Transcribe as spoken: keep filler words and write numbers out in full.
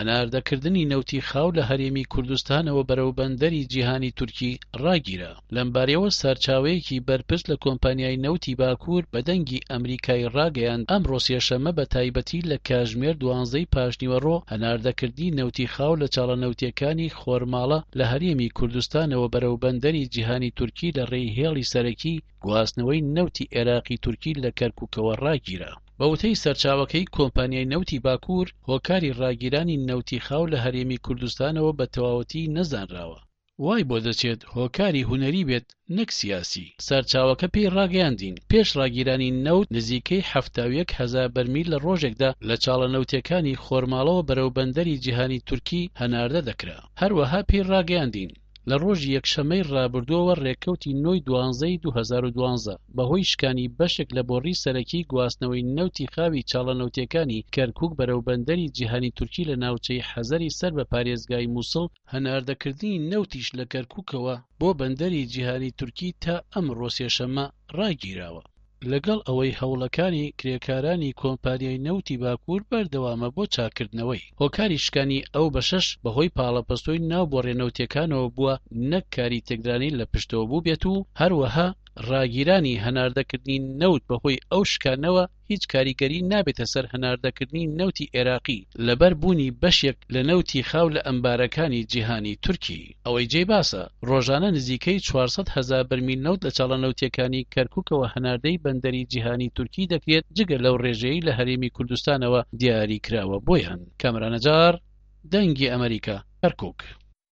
هەناردەکردنی نەوتی خاو لە هەرێمی کوردستانەوە بەرەو بەندەری جیهانی تورکی ڕاگیرا. لەمبارەیەوە سەرچاوەیەکی بەرپرس لە کۆمپانیای نەوتی باکوور بە دەنگی ئەمریکای ڕاگەیاند، ئەمڕۆ سێشەممە بە تایبەتی لە کاژمێر دوانزەی پاشنیوەڕۆ هەناردەکردنی نەوتی خاو لە چاڵە نەوتیەکانی خۆرماڵە لە هەرێمی کوردستانەوە بەرەو بەندەری جیهانی تورکی لە ڕێی هێڵی سەرەکی گواستنەوەی نەوتی عێراقی تورکی لە کەرکوکەوە ڕاگیرا. بە وتەی سەرچاوەکەی کۆمپانیای نەوتی باکوور، هۆکاری ڕاگیرانی نەوتی خاو لە هەرێمی کوردستانەوە بە تەواوەتی نەزانراوە، وای بۆ دەچێت هۆکاری هونەری بێت نەک سیاسی. سەرچاوەکە پێی ڕاگەیاندین، پێش ڕاگیرانی نەوت نزیکەی حەفتا و یەک هەزار بەرمیل لە ڕۆژێکدا لە چاڵە نەوتیەکانی خۆرماڵەوە بەرەو بەندەری جیهانی تورکی هەناردە دەکرا. هەروەها پێی ڕاگەیاندین، لە ڕۆژی یەکشەممەی ڕابردووەوە ڕێکەوتی نۆی دوانزەی دوو هەزار و دوازدە بەهۆی شکانی بەشێک لە بۆڕی سەرەکی گواستنەوەی نەوتی خاوی چاڵە نەوتیەکانی کەرکوک بەرەو بەندەری جیهانی تورکی لە ناوچەی حەزەری سەر بە پارێزگای موسڵ، هەناردەکردنی نەوتیش لە کەرکوکەوە بۆ بەندەری جیهانی تورکی تا ئەمڕۆ سێشەممە ڕاگیراوە. لەگەڵ ئەوەی هەوڵەکانی کرێکارانی کۆمپانیای نەوتی باکوور بەردەوامە بۆ چاکردنەوەی. هۆکاری شکانی ئەو بەشەش بەهۆی پاڵەپەستۆی ناو بۆڕیە نەوتیەکانەوە بووە نەک کاری تێکدرانی لە پشتەوە بووبێت و هەروەها ڕاگیرانی هەناردەکردنی نەوت بەهۆی ئەو شکانەوە هیچ کاریگەری نابێتە سەر هەناردەکردنی نەوتی عێراقی لەبەر بوونی بەشێک لە نەوتی خاو لە ئەمبارەکانی جیهانی تورکی. ئەوەی جێی باسە، ڕۆژانە نزیکەی چوار سەد هەزار بەرمیل نەوت لە چاڵە نەوتیەکانی کەرکوکەوە هەناردەی بەندەری جیهانی تورکی دەکرێت، جگە لەو ڕێژەیەی لە هەرێمی کوردستانەوە دیاری کراوە بۆیان. کامەران نەجار، دەنگی ئەمەریکا، کەرکوک.